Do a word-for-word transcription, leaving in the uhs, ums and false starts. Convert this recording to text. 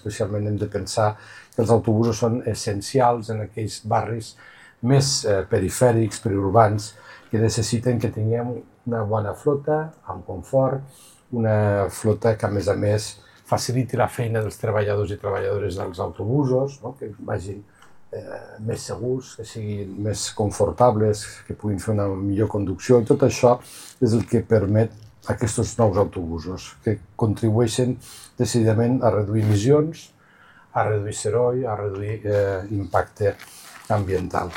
Especialment hem de pensar que els autobusos són essencials en aquells barris més eh, perifèrics, periurbans, que necessiten que tinguem una bona flota, amb confort, una flota que a més a més faciliti la feina dels treballadors i treballadores dels autobusos, no? Que vagin eh, més segurs, que siguin més confortables, que puguin fer una millor conducció. I tot això és el que permet aquests nous autobusos, que contribueixen decididament a reduir emissions, a reduir soroll, a reduir eh, impacte ambiental.